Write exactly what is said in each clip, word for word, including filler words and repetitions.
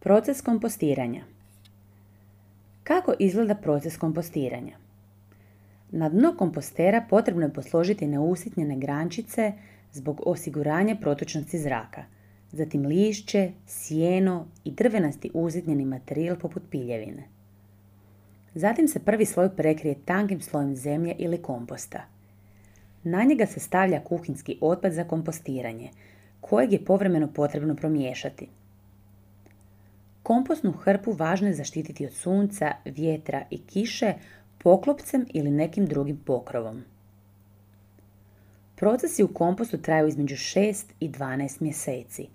Proces kompostiranja. Kako izgleda proces kompostiranja? Na dno kompostera potrebno je posložiti neusitnjene grančice zbog osiguranja protočnosti zraka, zatim lišće, sjeno i drvenasti usitnjeni materijal poput piljevine. Zatim se prvi sloj prekrije tankim slojem zemlje ili komposta. Na njega se stavlja kuhinjski otpad za kompostiranje, kojeg je povremeno potrebno promiješati. Kompostnu hrpu važno je zaštititi od sunca, vjetra i kiše poklopcem ili nekim drugim pokrovom. Procesi u kompostu traju između šest i dvanaest mjeseci.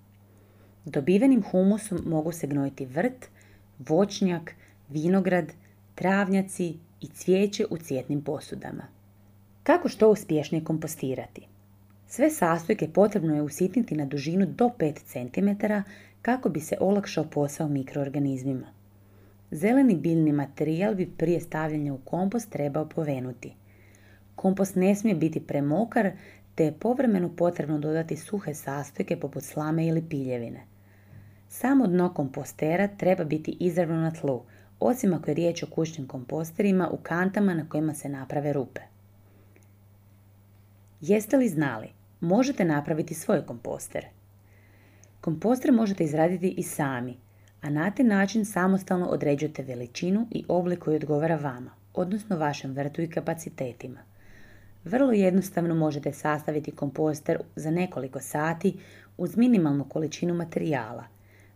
Dobivenim humusom mogu se gnojiti vrt, voćnjak, vinograd, travnjaci i cvijeće u cvjetnim posudama. Kako što uspješnije kompostirati? Sve sastojke potrebno je usitniti na dužinu do pet centimetara kako bi se olakšao posao mikroorganizmima. Zeleni biljni materijal bi prije stavljanja u kompost trebao povenuti. Kompost ne smije biti premokar, te je povremeno potrebno dodati suhe sastojke poput slame ili piljevine. Samo dno kompostera treba biti izravno na tlu, osim ako je riječ o kućnim komposterima u kantama na kojima se naprave rupe. Jeste li znali? Možete napraviti svoj komposter. Komposter možete izraditi i sami, a na taj način samostalno određujete veličinu i oblik koji odgovara vama, odnosno vašem vrtu i kapacitetima. Vrlo jednostavno možete sastaviti komposter za nekoliko sati uz minimalnu količinu materijala.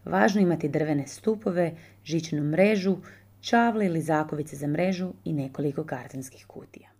Važno je imati drvene stupove, žičanu mrežu, čavle ili zakovice za mrežu i nekoliko kartonskih kutija.